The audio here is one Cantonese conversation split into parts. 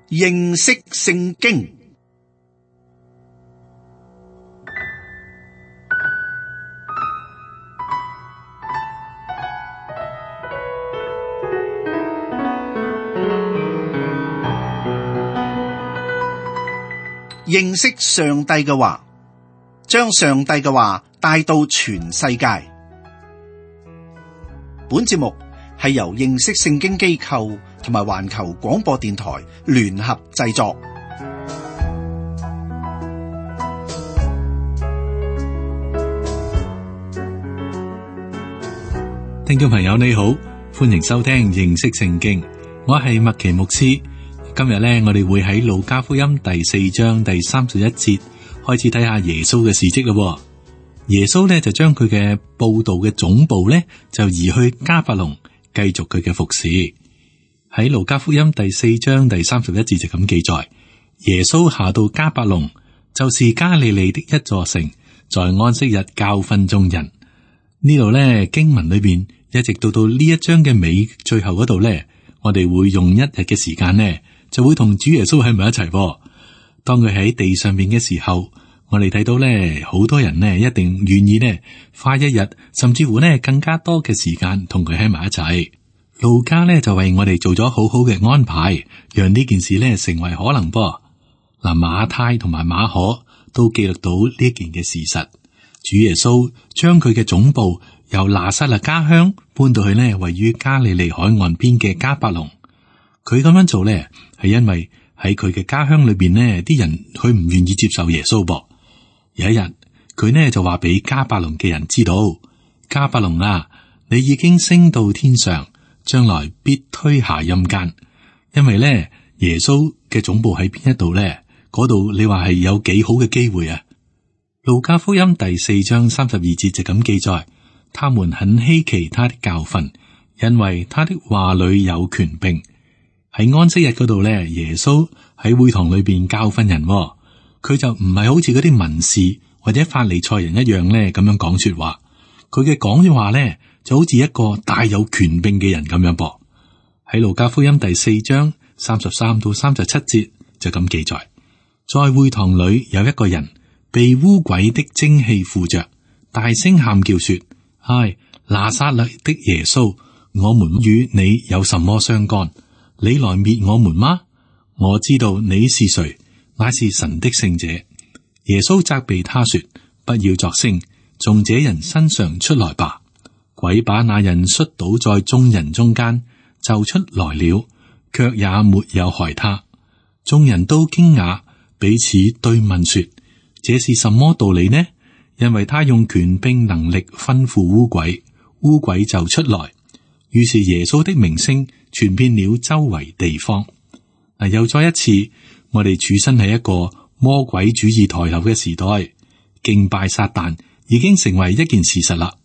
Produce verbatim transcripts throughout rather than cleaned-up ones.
認識聖經。認識上帝嘅話，將上帝嘅話帶到全世界。本節目係由認識聖經機構同埋環球廣播電台聯合製作。聽眾朋友你好，歡迎收聽認識聖經，我係麥奇牧師。今日咧，我哋會喺路加福音第四章第三十一節開始睇下耶穌嘅事蹟咯。耶穌咧就將佢嘅佈道嘅總部咧就移去迦百農，繼續佢嘅服侍。喺路加福音第四章第三十一節就咁記載：耶穌下到迦百農，就是加利利的一座城，在安息日教訓眾人。呢度咧經文裏邊一直到到呢一章嘅尾最後嗰度咧，我哋會用一日嘅時間呢。就會同主耶穌喺埋一齊。當佢喺地上面嘅時候，我哋睇到咧，好多人呢一定願意呢花一日，甚至乎呢更加多嘅時間同佢喺埋一齊。路加呢就為我哋做咗好好嘅安排，讓呢件事呢成為可能噃。嗱，馬太同埋馬可都記錄到呢件嘅事實。主耶穌將佢嘅總部由拿撒勒家鄉搬到去呢位於加利利海岸邊嘅迦百農。佢咁樣做咧，係因為喺佢嘅家鄉裏邊呢啲人佢唔願意接受耶穌噃。有一日，佢呢就話俾迦百農嘅人知道：迦百農啊，你已經升到天上，將來必推下陰間。因為咧，耶穌嘅總部喺邊一度咧？嗰度你話係有幾好嘅機會啊？路加福音第四章三十二節就咁記載：他們很稀奇他的教訓，因為他的話裏有權柄。喺安息日嗰度咧，耶穌喺會堂裏邊教訓人，佢就唔係好似嗰啲文士或者法利賽人一樣咧咁樣講說話。佢嘅講嘅話咧就好似一個大有權柄嘅人咁樣噃。喺路加福音第四章三十三到三十七節就咁記載：在會堂裏有一個人被污鬼的精氣附着，大聲喊叫說：唉，拿撒勒的耶穌，我們與你有什麼相干？你來滅我們嗎？我知道你是誰，乃是神的聖者。耶穌責備他說：不要作聲，從這人身上出來吧。鬼把那人摔倒在眾人中間，就出來了，卻也沒有害他。眾人都驚訝，彼此對問說：這是什麼道理呢？因為他用權柄能力吩咐污鬼，污鬼就出來。於是耶穌的名聲傳遍了周圍地方。嗱，又再一次，我哋處身喺一個魔鬼主義抬頭嘅時代，敬拜撒旦已經成為一件事實啦。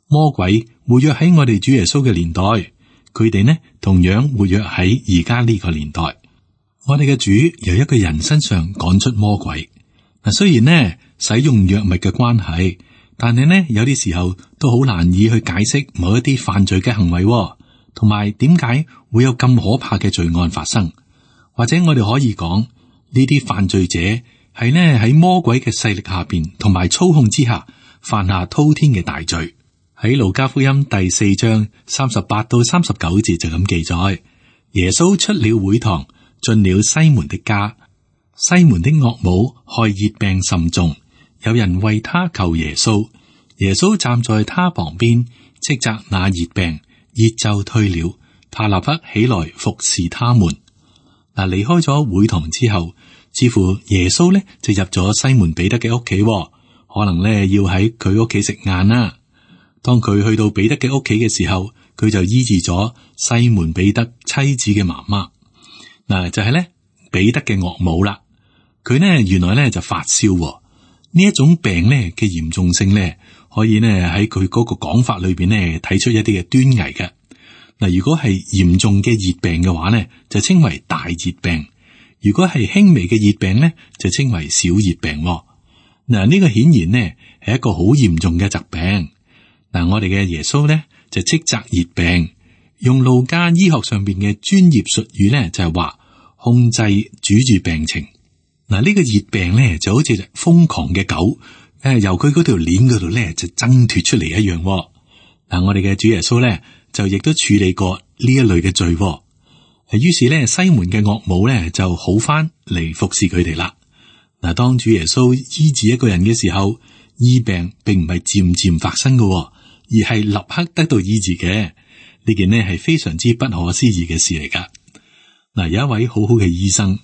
魔鬼活躍喺我哋主耶穌嘅年代，佢哋呢同樣活躍喺而家呢個年代。我哋嘅主由一個人身上趕出魔鬼。嗱，雖然呢使用藥物嘅關係，但係呢有啲時候都好難以去解釋某一啲犯罪嘅行為，同埋點解會有咁可怕嘅罪案發生。或者我哋可以講，呢啲犯罪者係呢喺魔鬼嘅勢力下邊同埋操控之下犯下滔天嘅大罪。喺路加福音第四章三十八到三十九節就咁記載：耶穌出了會堂，進了西門的家。西門的岳母害熱病甚重，有人為他求耶穌。耶穌站在他旁邊，斥責那熱病，熱就退了。他立刻起來服侍他們。嗱，離開咗會堂之後，似乎耶穌咧就入咗西門彼得嘅屋企，可能咧要喺佢屋企食晏啦。當佢去到彼得嘅屋企嘅時候，佢就醫治咗西門彼得妻子嘅媽媽。嗱，就係咧彼得嘅岳母啦。佢呢原來咧就發燒，呢一種病咧嘅嚴重性咧，可以呢喺佢嗰個講法裏邊咧睇出一啲嘅端倪嘅。嗱，如果係嚴重嘅熱病嘅話咧，就稱為大熱病；如果係輕微嘅熱病咧，就稱為小熱病。嗱，呢個顯然呢係一個好嚴重嘅疾病。嗱，我哋嘅耶穌咧就斥責熱病，用路加醫學上邊嘅專業術語咧就係話，控制主住病情。嗱，呢個熱病咧就好似瘋狂嘅狗，誒，由佢嗰條鏈嗰度咧就掙脫出嚟一樣。嗱，我哋嘅主耶穌咧就亦都處理過呢一類嘅罪。於是咧西門嘅岳母咧就好翻嚟服侍佢哋啦。嗱，當主耶穌醫治一個人嘅時候，醫病並唔係漸漸發生嘅，而係立刻得到醫治嘅。呢件呢係非常之不可思議嘅事嚟噶。嗱，有一位好好嘅醫生，誒、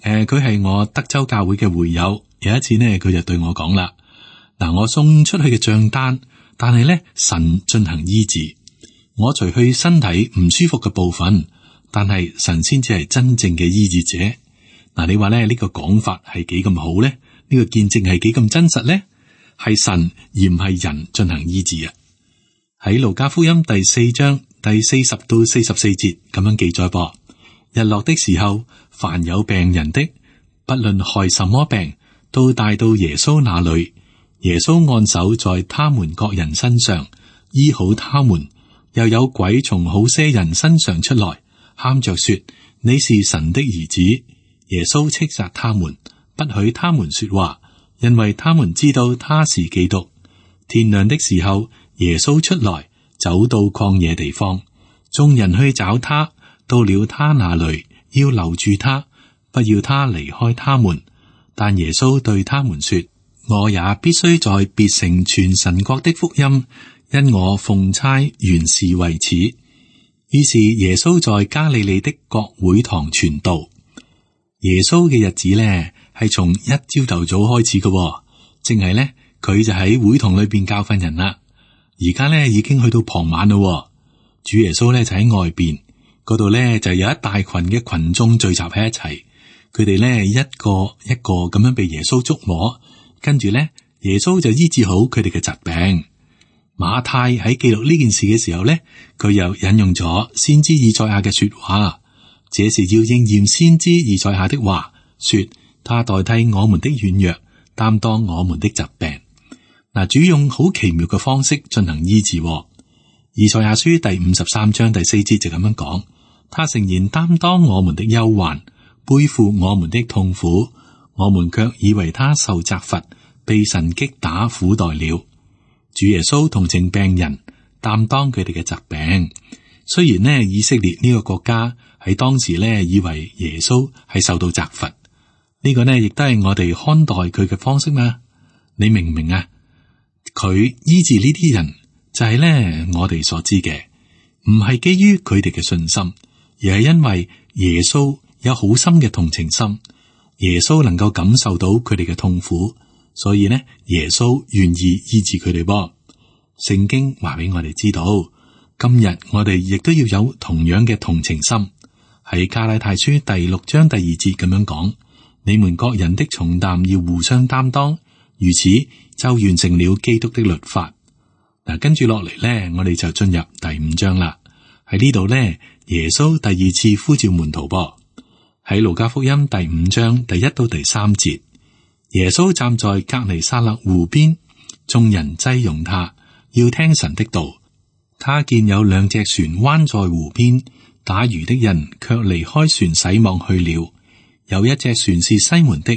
呃，佢係我德州教會嘅會友。有一次呢，佢就對我講啦：嗱，我送出去嘅賬單，但係咧神進行醫治，我除去身體唔舒服嘅部分，但係神先至係真正嘅醫治者。嗱，你話咧呢個講法係幾咁好咧？呢個見證係幾咁真實咧？係神而唔係人進行醫治啊！喺路加福音第四章第四十到四十四節咁樣記載噃：日落的時候，凡有病人的，不論害什麼病，都帶到耶穌那裏。耶穌按手在他們各人身上，醫好他們。又有鬼從好些人身上出來，喊着說：你是神的兒子。耶穌斥責他們，不許他們說話，因為他們知道他是基督。天亮的時候，耶穌出來，走到曠野地方，眾人去找他，到了他那裏，要留住他，不要他離開他們。但耶穌對他們說：我也必須在別城傳神國的福音，因我奉差原是為此。於是耶穌在加利利的各會堂傳道。耶穌嘅日子咧，係從一朝頭早開始嘅，淨係咧佢就喺會堂裏邊教訓人啦。而家咧已經去到傍晚咯，主耶穌咧就喺外邊嗰度咧，就有一大群嘅群眾聚集喺一齊，佢哋咧一個一個咁樣被耶穌觸摸，跟住咧耶穌就醫治好佢哋嘅疾病。馬太喺記錄呢件事嘅時候咧，佢又引用咗先知以賽亞嘅說話。這是要應驗先知以賽亞的話，說他代替我們的軟弱，擔當我們的疾病。嗱，主用好奇妙嘅方式進行醫治。以賽亞書第五十三章第四節就咁樣講：他誠然擔當我們的憂患，背負我們的痛苦，我們卻以為他受責罰，被神擊打苦待了。主耶穌同情病人，擔當佢哋嘅疾病。雖然呢，以色列呢個國家喺當時呢，以為耶穌係受到責罰，呢個呢亦都係我哋看待佢嘅方式嘛？你明唔明啊？佢醫治呢啲人就係呢，我哋所知嘅，唔係基於佢哋嘅信心，而係因為耶穌有好深嘅同情心，耶穌能夠感受到佢哋嘅痛苦，所以呢，耶穌願意醫治佢哋噃。聖經話俾我哋知道。今日我哋亦都要有同樣嘅同情心，喺加拉太書第六章第二節咁樣講：你們各人的重擔要互相擔當，如此就完成了基督的律法。嗱，跟住落嚟咧，我哋就進入第五章啦。喺呢度咧，耶穌第二次呼召門徒噃。喺路加福音第五章第一到第三節，耶穌站在革尼撒勒湖邊，眾人擠擁他，要聽神的道。他見有兩隻船彎在湖邊，打魚的人卻離開船洗網去了。有一隻船是西門的，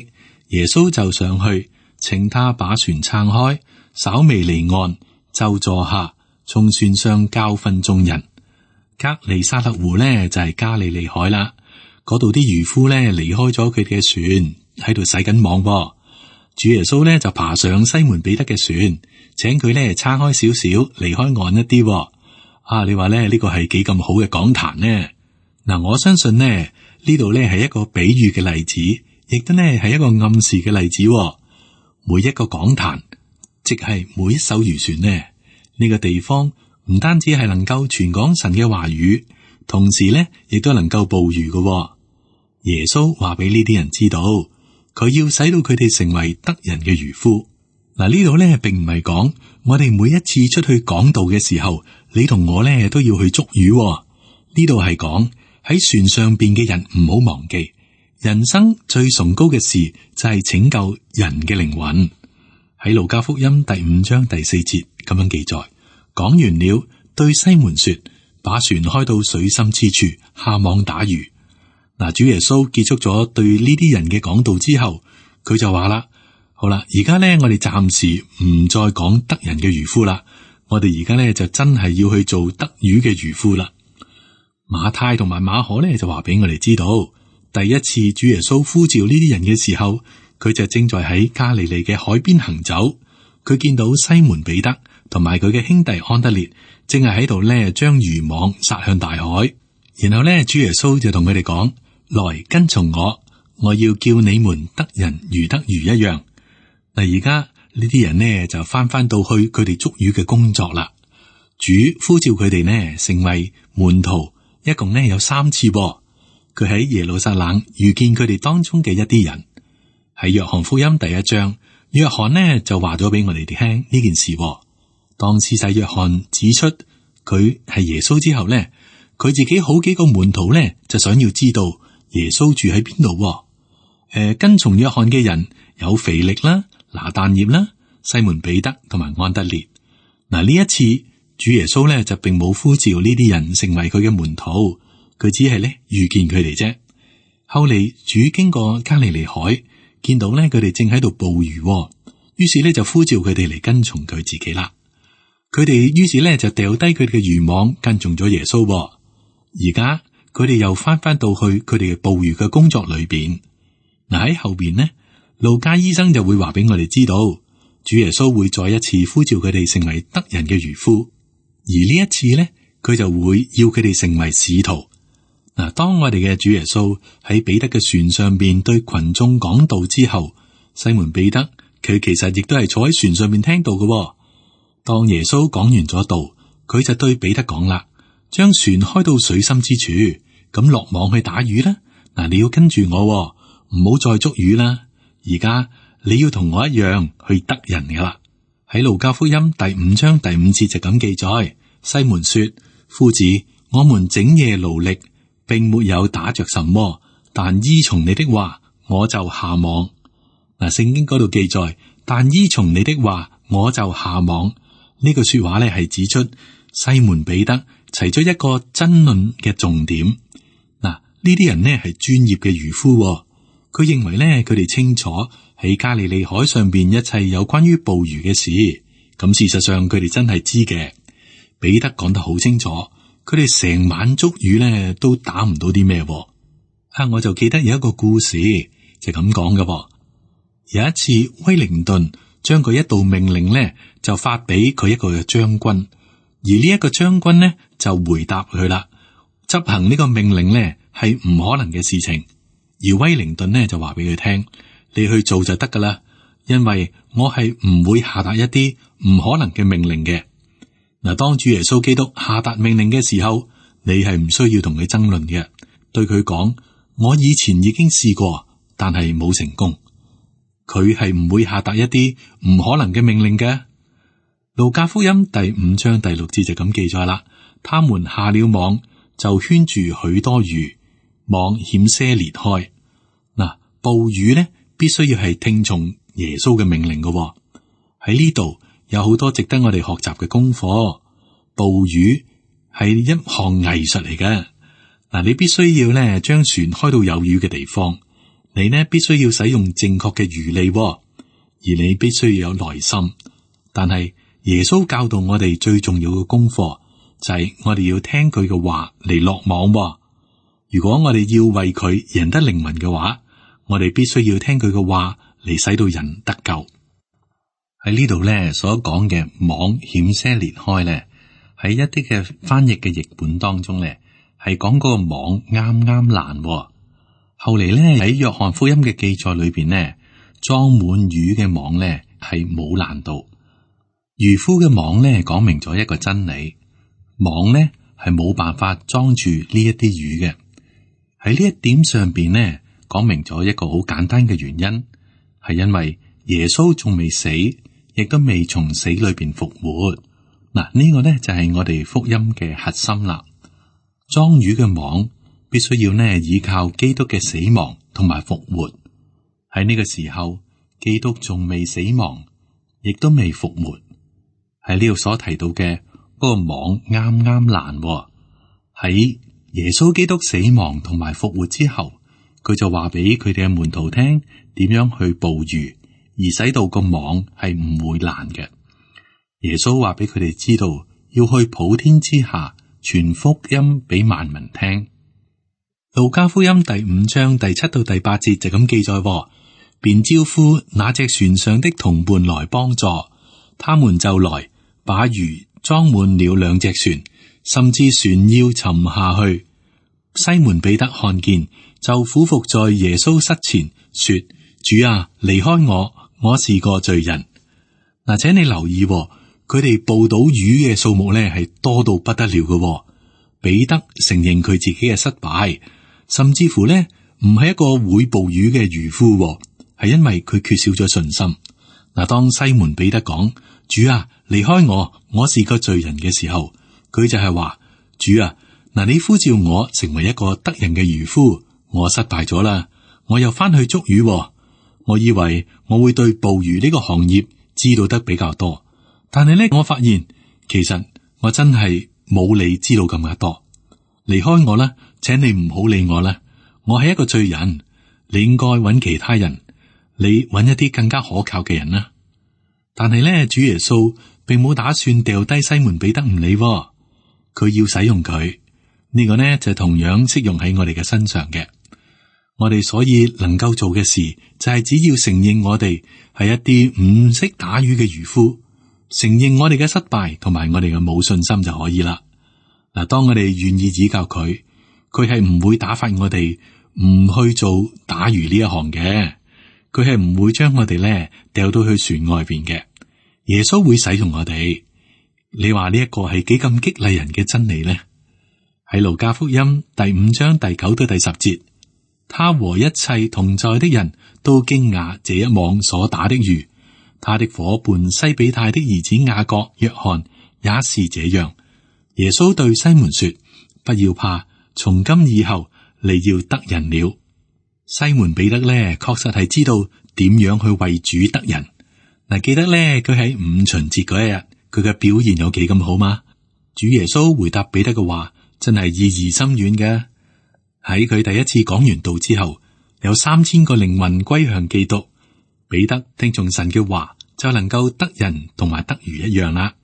耶穌就上去，請他把船撐開，稍微離岸，就坐下，從船上教訓眾人。革尼撒勒湖呢，就係加利利海啦，嗰度啲漁夫呢，離開咗佢哋嘅船，喺度洗緊網噃。主耶穌呢，就爬上西門彼得嘅船，請佢呢撐開少少，離開岸一啲。啊，你話咧呢個係幾咁好嘅講壇呢？嗱，我相信呢呢度呢係一個比喻嘅例子，亦都呢係一個暗示嘅例子。每一個講壇，即係每一艘漁船呢，呢個地方唔單止係能夠傳講神嘅話語，同時呢亦都能夠捕魚嘅。耶穌話俾呢啲人知道，佢要使到佢哋成為得人嘅漁夫。嗱，呢度咧並唔係講我哋每一次出去講道嘅時候，你同我咧都要去捉魚。呢度係講喺船上邊嘅人唔好忘記，人生最崇高嘅事就係拯救人嘅靈魂。喺路加福音第五章第四節咁樣記載，講完了，對西門說：把船開到水深之處，下網打魚。嗱，主耶穌結束咗對呢啲人嘅講道之後，佢就話啦：好啦，而家咧我哋暫時唔再講得人嘅漁夫啦，我哋而家咧就真係要去做得魚嘅漁夫啦。馬太同埋馬可咧就話俾我哋知道，第一次主耶穌呼召呢啲人嘅時候，佢就正在喺加利利嘅海邊行走，佢見到西門彼得同埋佢嘅兄弟安德烈正係喺度咧將漁網撒向大海，然後咧主耶穌就同佢哋講：來跟從我，我要叫你們得人如得魚一樣。嗱，而家呢啲人呢就翻翻到去佢哋捉魚嘅工作啦。主呼召佢哋呢成為門徒，一共呢有三次。佢喺耶路撒冷遇見佢哋當中嘅一啲人。喺約翰福音第一章，約翰呢就話咗俾我哋聽呢件事。當施洗約翰指出佢係耶穌之後呢，佢自己好幾個門徒呢就想要知道耶穌住喺邊度。誒、呃，跟從約翰嘅人有腓力啦、拿但業啦、西門彼得同埋安德烈。嗱，呢一次主耶穌呢就並冇呼召呢啲人成為佢嘅門徒，佢只係呢遇見佢哋啫。後嚟主經過加利利海，見到呢佢哋正喺度捕魚，於是呢就呼召佢哋嚟跟從佢自己啦。佢哋於是呢就掉低佢哋嘅漁網，跟從咗耶穌。而家佢哋又翻翻到去佢哋嘅捕魚嘅工作裏邊。嗱，喺後邊呢，路加醫生就會話俾我哋知道，主耶穌會再一次呼召佢哋成為得人嘅漁夫，而呢一次呢，佢就會要佢哋成為使徒。嗱，當我哋嘅主耶穌喺彼得嘅船上邊對群眾講道之後，西門彼得佢其實亦都係坐喺船上邊聽到嘅。當耶穌講完咗道，佢就對彼得講啦：將船開到水深之處，咁落網去打魚啦。嗱，你要跟住我，唔好再捉魚啦。而家你要同我一樣去得人噶啦。喺路加福音第五章第五節就咁記載：西門說，夫子，我們整夜勞力，並沒有打着什麼，但依從你的話，我就下網。嗱，聖經嗰度記載，但依從你的話，我就下網。呢句說話咧係指出西門彼得提出一個爭論嘅重點。嗱，呢啲人呢係專業嘅漁夫，佢認為咧佢哋清楚喺加利利海上邊一切有關於捕魚嘅事。咁事實上佢哋真係知嘅。彼得講得好清楚，佢哋成晚捉魚咧都打唔到啲咩。啊，我就記得有一個故事就咁講嘅。有一次威靈頓將佢一道命令咧就發俾佢一個嘅將軍，而呢一個將軍呢就回答佢啦，執行呢個命令呢係唔可能嘅事情。而威靈頓呢就話俾佢聽，你去做就得噶啦，因為我係唔會下達一啲唔可能嘅命令嘅。嗱，當主耶穌基督下達命令嘅時候，你係唔需要同佢爭論嘅，對佢講，我以前已經試過，但係冇成功。佢係唔會下達一啲唔可能嘅命令嘅。路加福音第五章第六節就咁記載啦，他們下了網，就圈住許多魚，網險些裂開。嗱，捕魚呢必須要係聽從耶穌嘅命令嘅。喺呢度有好多值得我哋學習嘅功課。捕魚係一項藝術嚟嘅。嗱，你必須要咧將船開到有魚嘅地方。你呢必須要使用正確嘅魚餌，而你必須要有耐心。但係耶穌教導我哋最重要嘅功課就係我哋要聽佢嘅話嚟落網。如果我哋要為佢贏得靈魂嘅話，我哋必須要聽佢嘅話嚟使到人得救。喺呢度咧所講嘅網險些裂開咧，喺一啲嘅翻譯嘅譯本當中咧係講嗰個網啱啱爛。後嚟咧喺約翰福音嘅記載裏邊呢，裝滿魚嘅網咧係冇爛到。漁夫嘅網咧講明咗一個真理，網咧係冇辦法裝住呢一啲魚嘅。喺呢一點上邊呢，講明咗一個好簡單嘅原因，係因為耶穌仲未死，亦都未從死裏邊復活。嗱，呢個咧就係我哋福音嘅核心啦。裝魚嘅網必須要呢依靠基督嘅死亡同埋復活。喺呢個時候，基督仲未死亡，亦都未復活。喺呢度所提到嘅嗰個網啱啱爛，喺耶穌基督死亡同埋復活之後，佢就話俾佢哋嘅門徒聽點樣去捕魚，而使到個網係唔會爛嘅。耶穌話俾佢哋知道要去普天之下傳福音俾萬民聽。路加福音第五章第七到第八節就咁記載，便招呼那隻船上的同伴來幫助，他們就來把魚裝滿了兩隻船，甚至船要沉下去。西門彼得看見，就俯伏在耶穌膝前說：主啊，離開我，我是個罪人。嗱，請你留意，佢哋捕到魚嘅數目咧係多到不得了嘅。彼得承認佢自己嘅失敗，甚至乎咧唔係一個會捕魚嘅漁夫，係因為佢缺少咗信心。嗱，當西門彼得講：主啊，離開我，我是個罪人嘅時候，佢就係話：主啊，嗱，你呼召我成為一個得人嘅漁夫，我失敗咗啦，我又翻去捉魚。我以為我會對捕魚呢個行業知道得比較多，但係咧，我發現其實我真係冇你知道咁加多。離開我啦，請你唔好理我啦，我係一個罪人，你應該揾其他人，你揾一啲更加可靠嘅人啦。但係咧，主耶穌並冇打算掉低西門彼得唔理，佢要使用佢。呢個呢就同樣適用喺我哋嘅身上嘅。我哋所以能夠做嘅事就係只要承認我哋係一啲唔識打魚嘅漁夫，承認我哋嘅失敗同埋我哋嘅冇信心就可以啦。嗱，當我哋願意指教佢，佢係唔會打發我哋唔去做打魚呢一行嘅，佢係唔會將我哋咧掉到去船外邊嘅。耶穌會使用我哋。你話呢一個係幾咁激勵人嘅真理呢？喺路加福音第五章第九到第十節，他和一切同在的人都驚訝這一網所打的魚。他的夥伴西比泰的兒子雅各、約翰也是這樣。耶穌對西門說：不要怕，從今以後你要得人了。西門彼得咧，確實係知道點樣去為主得人。嗱，記得咧，佢喺五旬節嗰一日，佢嘅表現有幾咁好嗎？主耶穌回答彼得嘅話，真係意義深遠嘅。喺佢第一次講完道之後，有三千個靈魂歸向基督。彼得聽從神嘅話，就能夠得人同埋得魚一樣啦。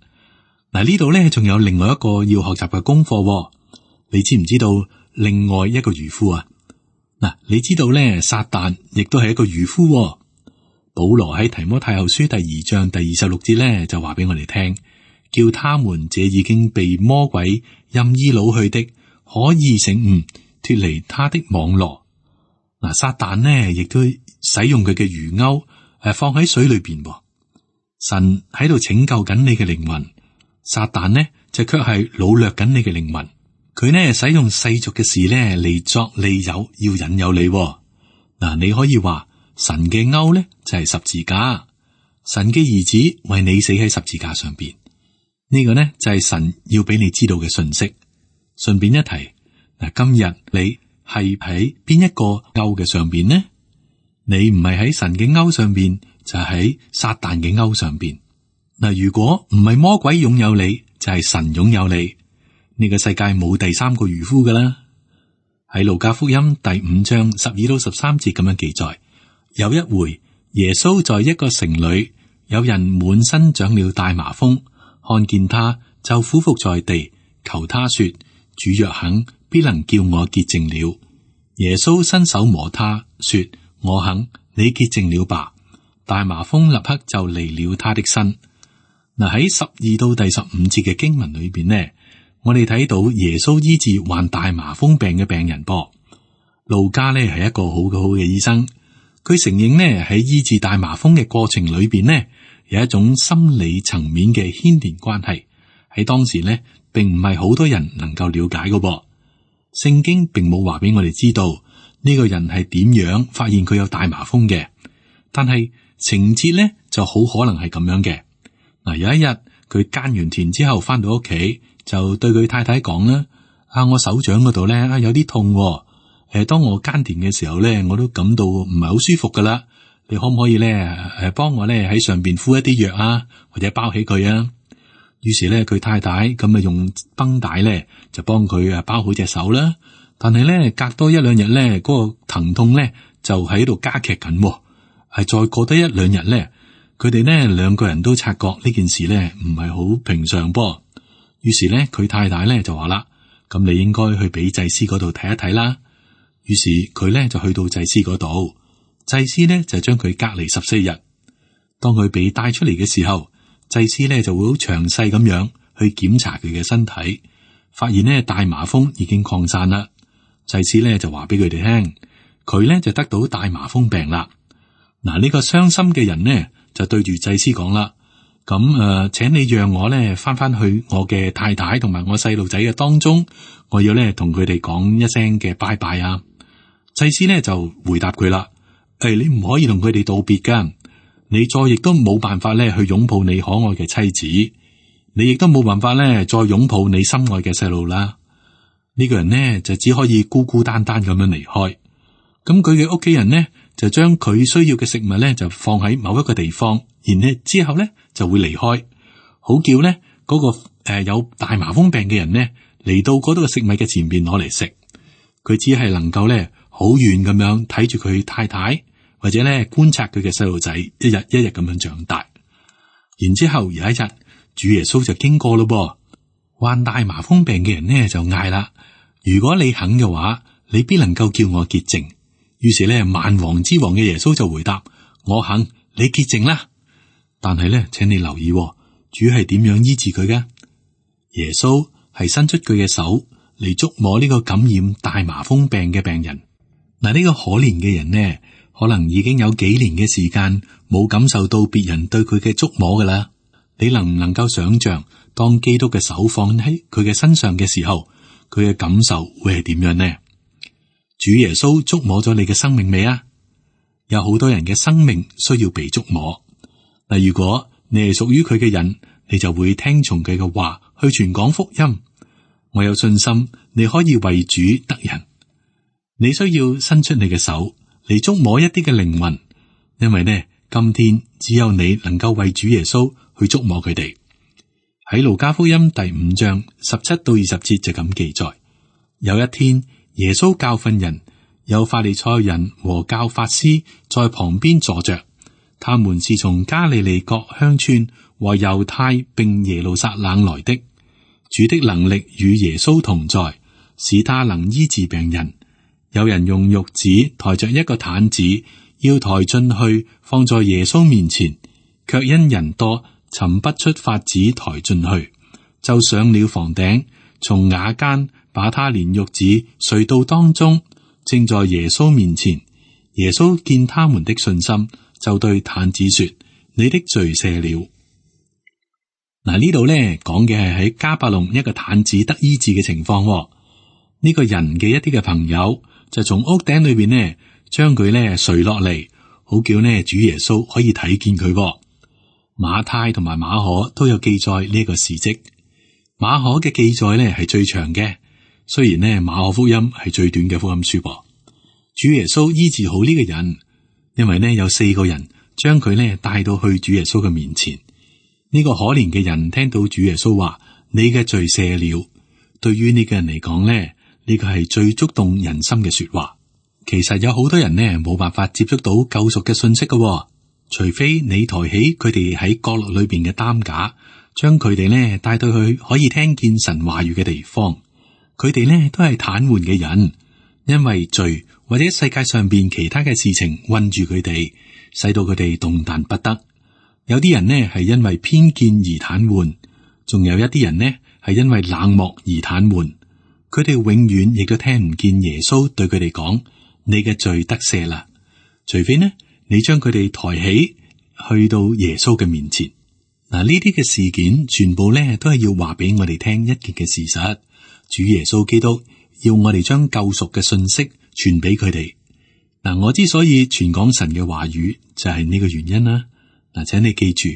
嗱，呢度咧仲有另外一個要學習嘅功課。你知唔知道另外一個漁夫啊？嗱，你知道咧，撒旦亦都係一個漁夫。保羅喺提摩太後書第二章第二十六節咧就話俾我哋聽，叫他們這已經被魔鬼任意擄去的，可以醒悟，脫離他的網羅。嗱，撒旦呢亦都使用佢嘅魚鈎誒放喺水裏邊。神喺度拯救緊你嘅靈魂，撒旦呢就卻係擄掠緊你嘅靈魂。佢呢使用世俗嘅事呢嚟作利誘，要引誘你。嗱，你可以話神嘅鈎呢就係十字架，神嘅兒子為你死喺十字架上邊。呢個呢就係神要俾你知道嘅信息。順便一提，嗱，今日你係喺邊一個鈎嘅上邊呢？你唔係喺神嘅鈎上邊，就係喺撒旦嘅鈎上邊。嗱，如果唔係魔鬼擁有你，就係神擁有你。呢個世界冇第三個漁夫噶啦。喺路加福音第五章十二到十三節咁樣記載，有一回耶穌在一個城裏，有人滿身長了大麻風，看見他就俯伏在地，求他說：主若肯，必能叫我潔淨了。耶穌伸手摸他，說：我肯，你潔淨了吧。大麻風立刻就離了他的身。嗱，喺十二到第十五節嘅經文裏邊呢，我哋睇到耶穌醫治患大麻風病嘅病人噃。路加呢係一個好好嘅醫生，佢承認呢喺醫治大麻風嘅過程裏邊呢，有一種心理層面嘅牽連關係，喺當時呢並唔係好多人能夠了解嘅噃。聖經並冇話俾我哋知道呢個人係點樣發現佢有大麻風嘅，但係情節呢就好可能係咁樣嘅。嗱，有一日佢耕完田之後翻到屋企，就對佢太太講啦：啊，我手掌嗰度咧啊有啲痛，誒、呃，當我耕田嘅時候咧，我都感到唔係好舒服噶啦。你可唔可以咧誒幫我咧喺上邊敷一啲藥啊，或者包起佢啊？於是咧，佢太太咁啊用繃帶咧就幫佢啊包好隻手啦。但係咧隔多一兩日咧，嗰個疼痛咧就喺度加劇緊，係再過多一兩日咧，佢哋呢兩個人都察覺呢件事咧唔係好平常噃。於是咧，佢太太咧就話啦：咁你應該去俾祭司嗰度睇一睇啦。於是佢咧就去到祭司嗰度，祭司咧就將佢隔離十四日。當佢被帶出嚟嘅時候，祭司咧就會好詳細咁樣去檢查佢嘅身體，發現呢大麻風已經擴散啦。祭司咧就話俾佢哋聽，佢咧就得到大麻風病啦。嗱，呢個傷心嘅人呢就對住祭司講啦：咁誒、呃，請你讓我咧翻翻去我嘅太太同埋我細路仔嘅當中，我要咧同佢哋講一聲嘅拜拜啊！祭司咧就回答佢啦：誒、哎，你唔可以同佢哋道別噶，你再亦都冇辦法咧去擁抱你可愛嘅妻子，你亦都冇辦法咧再擁抱你心愛嘅細路啦。呢、這個人呢就只可以孤孤單單咁樣離開。咁佢嘅屋企人呢就將佢需要嘅食物咧就放喺某一個地方，然後之後咧就會離開，好叫咧嗰、那個誒、呃、有大麻風病嘅人呢嚟到嗰度嘅食物嘅前邊攞嚟食。佢只係能夠咧好遠咁樣睇住佢太太，或者咧觀察佢嘅細路仔一日一日咁樣長大。然之後有一日，主耶穌就經過咯噃，患大麻風病嘅人呢就嗌啦：如果你肯嘅話，你必能夠叫我潔淨。於是咧，萬王之王嘅耶穌就回答：我肯，你潔淨啦。但係咧，請你留意，主係點樣醫治佢嘅？耶穌係伸出佢嘅手嚟觸摸呢個感染大麻風病嘅病人。嗱，呢個可憐嘅人呢，可能已經有幾年嘅時間冇感受到別人對佢嘅觸摸噶啦。你能唔能夠想象，當基督嘅手放喺佢嘅身上嘅時候，佢嘅感受會係點樣呢？主耶穌觸摸咗你嘅生命未啊？有好多人嘅生命需要被觸摸。嗱，如果你係屬於佢嘅人，你就會聽從佢嘅話去傳講福音。我有信心你可以為主得人。你需要伸出你嘅手嚟觸摸一啲嘅靈魂，因為呢，今天只有你能夠為主耶穌去觸摸佢哋。喺路加福音第五章十七到二十節就咁記載：有一天，耶穌教訓人，有法利賽人和教法師在旁邊坐着，他們是從加利利各鄉村和猶太並耶路撒冷來的。主的能力與耶穌同在，使他能醫治病人。有人用褥子抬着一個毯子，要抬進去放在耶穌面前，卻因人多，尋不出法子抬進去，就上了房頂，從瓦間把他連褥子垂到當中，正在耶穌面前。耶穌見他們的信心，就對毯子說：你的罪赦了。嗱，呢度咧講嘅係喺迦百農一個毯子得醫治嘅情況。呢、這個人嘅一啲嘅朋友就從屋頂裏邊呢將佢咧垂落嚟，好叫呢主耶穌可以睇見佢。馬太同埋馬可都有記載呢一個事蹟。馬可嘅記載咧係最長嘅，雖然呢馬可福音係最短嘅福音書噃。主耶穌醫治好呢個人，因為呢有四個人將佢呢帶到去主耶穌嘅面前。呢、這個可憐嘅人聽到主耶穌話：你嘅罪赦了。對於呢個人嚟講呢，呢、這個係最觸動人心嘅說話。其實有好多人呢冇辦法接觸到救贖嘅信息嘅，除非你抬起佢哋喺角落裏邊嘅擔架，將佢哋呢帶到去可以聽見神話語嘅地方。佢哋呢都係癱瘓嘅人，因為罪或者世界上邊其他嘅事情困住佢哋，使到佢哋動彈不得。有啲人呢係因為偏見而癱瘓，仲有一啲人呢係因為冷漠而癱瘓。佢哋永遠亦都聽唔見耶穌對佢哋講：你嘅罪得赦啦。除非呢，你將佢哋抬起去到耶穌嘅面前。嗱，呢啲嘅事件全部呢都係要話俾我哋聽一件嘅事實：主耶穌基督要我哋將救贖嘅信息傳俾佢哋。嗱，我之所以傳講神嘅話語，就係呢個原因啦。嗱，請你記住，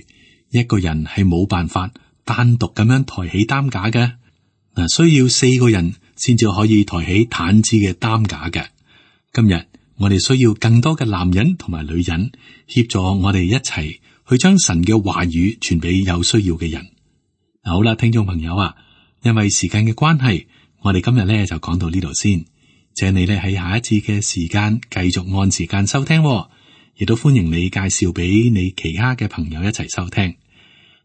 一個人係冇辦法單獨咁樣抬起擔架嘅，嗱，需要四個人先至可以抬起毯子嘅擔架嘅。今日我哋需要更多嘅男人同埋女人協助我哋一齊去將神嘅話語傳俾有需要嘅人。好啦，聽眾朋友啊，因為時間嘅關係，我哋今日咧就講到呢度先。請你咧喺下一次嘅時間繼續按時間收聽，亦都歡迎你介紹俾你其他嘅朋友一齊收聽。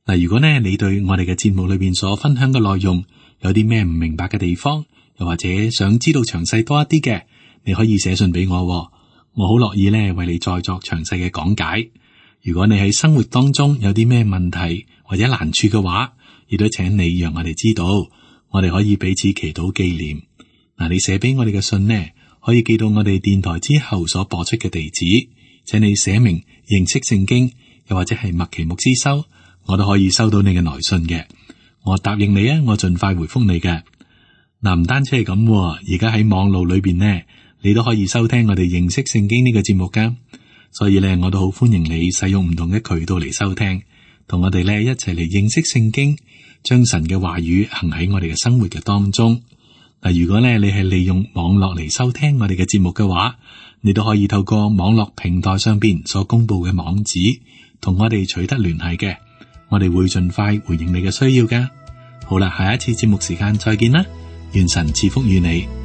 嗱，如果呢你對我哋嘅節目裏邊所分享嘅內容有啲咩唔明白嘅地方，又或者想知道詳細多一啲嘅，你可以寫信俾我，我好樂意咧為你再作詳細嘅講解。如果你喺生活當中有啲咩問題或者難處嘅話，亦都請你讓我哋知道，我哋可以彼此祈禱紀念。嗱，你寫俾我哋嘅信呢，可以寄到我哋電台之後所播出嘅地址，請你寫明認識聖經，又或者係麥奇牧師收，我都可以收到你嘅來信嘅。我答應你啊，我盡快回覆你嘅。嗱，唔單止係咁，而家喺網路裏邊呢，你都可以收聽我哋認識聖經呢個節目噶。所以咧，我都好歡迎你使用唔同嘅渠道嚟收聽，同我哋咧一齊嚟認識聖經，將神嘅話語行喺我哋嘅生活嘅當中。嗱，如果咧你係利用網絡嚟收聽我哋嘅節目嘅話，你都可以透過網絡平台上邊所公布嘅網址，同我哋取得聯繫嘅。我哋會盡快回應你嘅需要噶。好啦，下一次節目時間再見啦，願神賜福與你。